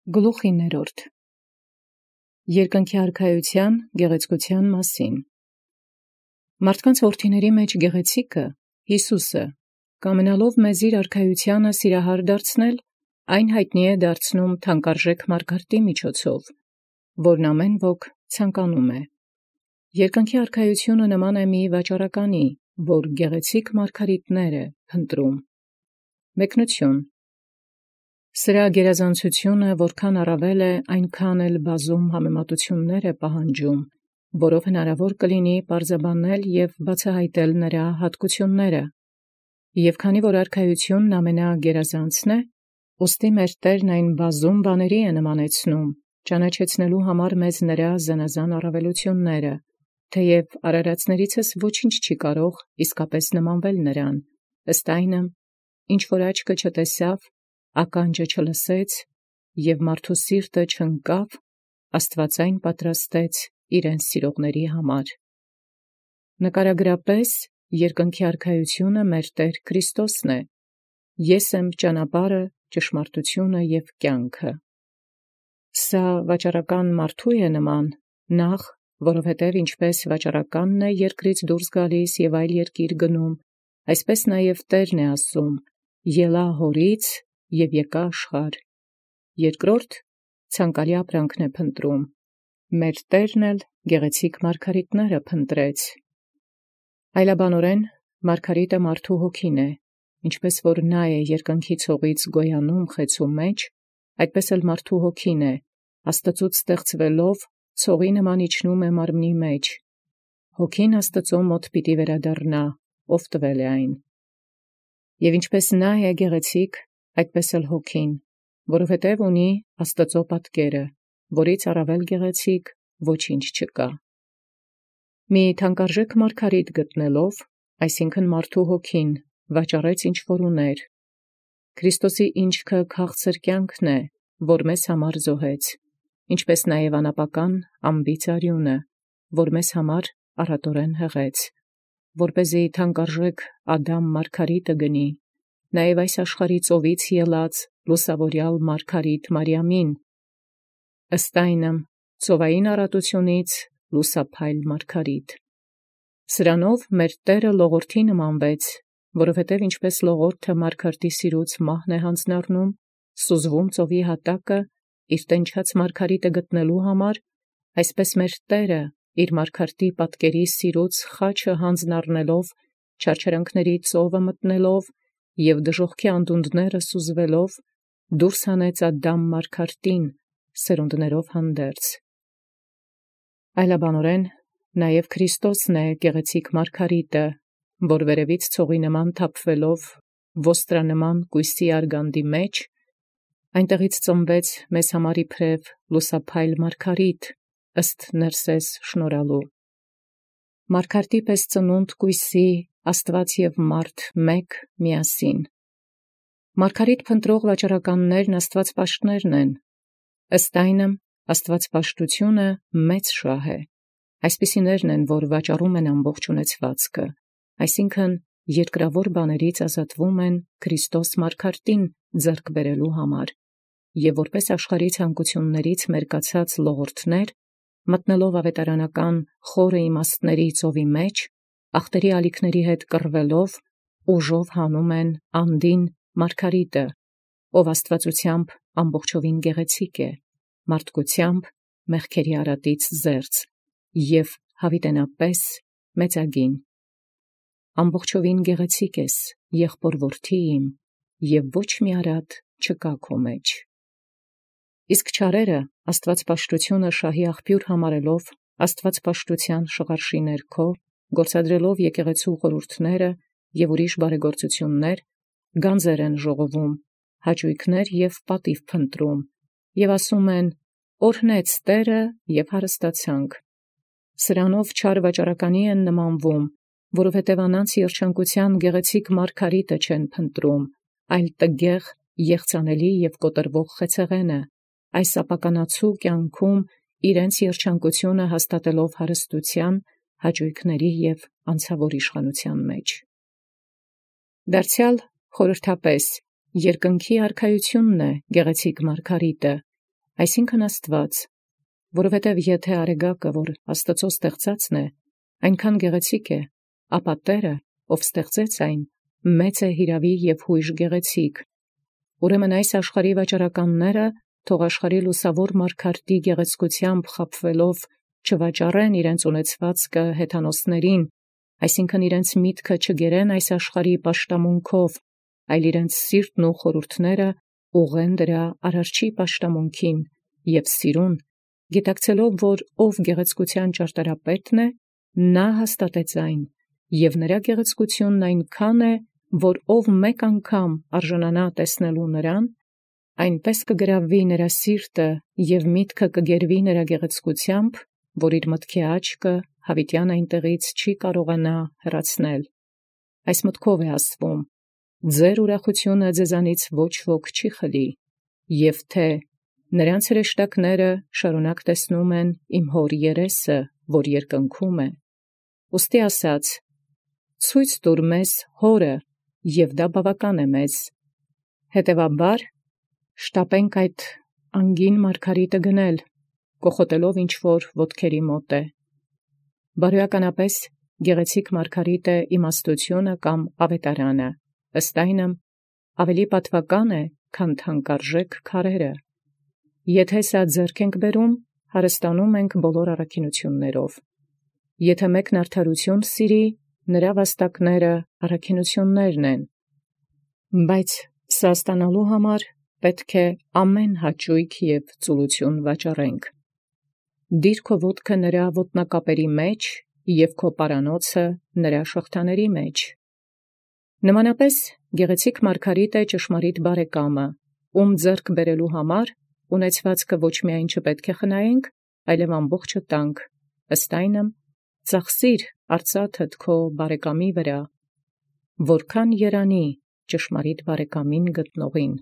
Գլուխ 9. Երկնքի արքայութեան գեղեցկութեան մասին։ Մարդկանց որդիների մեջ գեղեցիկը Յիսուսը, կամենալով մեզ իր արքայութեանը սիրահար դարձնել, այն յայտնի է դարձնում թանկարժեք մարգարտի միջոցով, որն ամեն ոք ցանկանում է։ Երկնքի արքայութիւնը նման է մի վաճառականի, որ գեղեցիկ մարգարիտներ է փնտրում։ Մեկնություն. Սրա գերազանցությունը որքան առավել է, այնքան էլ բազում համեմատություններ է պահանջում, որով հնարավոր կլինի պարզաբանել և բացահայտել նրա հատկությունները։ Եվ քանի որ արքայությունն ամենագերազանցն է, ուստի մեր Տերն այն բազում բաների է նմանեցնում, ճանաչեցնելու համար մեզ նրա զանազան առավելությունները, թեև արարածներիցս ոչինչ չի կարող իսկապես նմանվել նրան, ըստ այնմ, ինչ որ աչքը չտեսավ, ականջը չլսեց, և մարդու սիրտը չընկավ, Աստուած այն պատրաստեց իրեն սիրողների համար։ Նկարագրապես երկնքի արքայությունը մեր Տեր Քրիստոսն է. Ես եմ ճանապարհը, ճշմարտությունը և կյանքը։ Սա վաճառական մարդու է նման, նախ, որովհետև ինչպես վաճառականն է երկրից դուրս գալիս և այլ երկիր գնում, այսպես նաև Տերն է ասում. ելա հորից և եկա աշխարհ։ Երկրորդ, ցանկալի ապրանքն է փնտրում, մեր Տերն էլ գեղեցիկ մարգարիտները փնտրեց։ Այլաբանորեն, մարգարիտը մարդու հոգին է, ինչպես որ նա է երկնքի ցողից գոյանում խեցու մեջ, այդպես էլ մարդու հոգին է, Աստծուց ստեղծվելով, ցողի նման իջնում է մարմնի մեջ։ Հոգին Աստծու մոտ պիտի վերադառնա, ով տվել է այն։ Եվ ինչպես նա է գեղեցիկ, այդպես էլ հոգին, որովհետև ունի Աստծու պատկերը, որից առավել գեղեցիկ ոչինչ չկա։ Մի թանկարժեք մարգարիտ գտնելով, այսինքն մարդու հոգին, վաճառեց ինչ որ ուներ։ Քրիստոսի ինչքը քաղցր կյանքն է, որ մեզ համար զոհեց, ինչպես նաև անապական անբիծ արյունը, որ մեզ համար առատորեն հղեց, որպեսզի թանկարժեք Ադամ մարգարիտը գնի, նաև այս աշխարհի ծովից ելած լուսավորյալ մարգարիտ Մարիամին, ըստ այնմ ծովային առատությունից լուսափայլ մարգարիտ։ Սրանով մեր Տերը լողորդի նմանվեց, որովհետև ինչպես լողորդը մարգարտի սիրուց մահն է հանձնառնում, սուզվում ծովի հատակը, իր տենչած մարգարիտը գտնելու համար, այսպես մեր Տերը իր մարգարտի պատկերի սիրուց խաչը հանձնառնելով, չարչարանքների ծովը մտնելով և դժոխքի անդունդները սուզվելով, դուրս հանեց Ադամ մարգարտին սերունդներով հանդերձ։ Այլաբանորեն, նաև Քրիստոսն է գեղեցիկ մարգարիտը, որ վերևից ցողի նման թափվելով ոստրանման կույսի արգանդի մեջ, այնտեղից ծնվեց մեզ համար իբրև լուսափայլ մարգարիտ, ըստ Ներսես շնորհալու։ Մարգարտի պես ծնունդ կույսի Աստված և մարդ մեկ միասին։ Մարգարիտ փնտրող վաճառականներն աստվածպաշտներն են, ըստ այնմ աստվածպաշտությունը մեծ շահ է։ Այսպիսիներն են, որ վաճառում են ամբողջ ունեցվածքը, այսինքն երկրավոր բաներից ազատվում են Քրիստոս մարգարտին ձեռք բերելու համար, և որպես աշխարհի ցանկություններից մերկացած լողորդներ, մտնելով ավետարանական խորը իմաստների ծովի մեջ, ախտերի ալիքների հետ կռվելով, ուժով հանում են անդին մարգարիտը, ով աստվածությամբ ամբողջովին գեղեցիկ է, մարդկությամբ մեղքերի արատից զերծ և հավիտենապես մեծագին։ Ամբողջովին գեղեցիկ ես, եղբոր որդի իմ, և ոչ մի արատ չկա քո մեջ։ Իսկ չարերը աստվածպաշտությունը շահի աղբյուր համարելով, աստվածպաշտության շղարշի ներքո, գործադրելով եկեղեցու խորհուրդները և ուրիշ բարեգործություններ, գանձեր են ժողովում, հաճույքներ և պատիվ փնտրում, և ասում են. «Օրհնեց Տերը և հարստացանք»։ Սրանով չար վաճառականի են նմանվում, որովհետև անանց երջանկության գեղեցիկ մարգարիտը չեն փնտրում, այլ տգեղ, եղծանելի և կոտրվող խեցեղենը, այս ապականացու կյանքում իրենց երջանկությունը հաստատելով հարստության, հաճույքների և անցավոր իշխանության մեջ։ Դարձյալ խորհրդապես, երկնքի արքայությունն է գեղեցիկ մարգարիտը, այսինքն Աստուած, որովհետև եթե արեգակը, որ Աստծո ստեղծածն է, այնքան գեղեցիկ է, ապա Տերը, ով ստեղծեց այն, մեծ է հիրավի և հույժ գեղեցիկ։ Ուրեմն այս աշխարհի վաճառականները թող աշխարհի լուսավոր մարգարտի գեղեցկությամբ խաբվելով չվաճառեն իրենց ունեցվածքը հեթանոսներին, այսինքն իրենց միտքը չգերեն այս աշխարհի պաշտամունքով, այլ իրենց սիրտն ու խորհուրդները ուղղեն դրա արարչի պաշտամունքին և սիրուն, գիտակցելով, որ ով գեղեցկության ճարտարապետն է, նա հաստատեց այն, և նրա գեղեցկությունն այնքան է, որ ով մեկ անգամ արժանանա տեսնելու նրան, այնպես կգրավվի նրա սիրտը և միտքը կգերվի նրա գեղեցկությամբ, որ իր մտքի աչքը հավիտյան այնտեղից չի կարողանա հեռացնել։ Այս մտքով է ասվում. ձեր ուրախությունը ձեզանից ոչ ոք չի խլի, և թե նրանց հրեշտակները շարունակ տեսնում են իմ հոր երեսը, որ երկնքում է։ Ուստի ասաց. ցույց տուր մեզ հորը, և դա բավական է մեզ։ Հետևաբար շտապենք այդ անգին մարգարիտը գնել, կոխոտելով ինչ-որ ոտքերի մոտ է։ Բարոյականապես գեղեցիկ մարգարիտ է իմաստությունը կամ ավետարանը, ըստ այնմ ավելի պատվական է, քան թանկարժեք քարերը։ Եթե սա ձեռք ենք բերում, հարստանում ենք բոլոր առաքինություններով։ Եթե մեկն արդարություն սիրի, նրա վաստակները առաքինություններն են։ Բայց սա ստանալու համար պետք է ամեն հաճույք և ծուլություն վաճառենք։ Դիր քո ոտքը նրա ոտնակապերի մեջ և քո պարանոցը նրա շղթաների մեջ։ Նմանապես գեղեցիկ մարգարիտ է ճշմարիտ բարեկամը, ում ձեռք բերելու համար ունեցվածքը ոչ միայն չպետք է խնայենք, այլև ամբողջը տանք, ըստ այնմ ծախսիր արծաթդ քո բարեկամի վրա, որքան երանի ճշմարիտ բարեկամին գտնողին։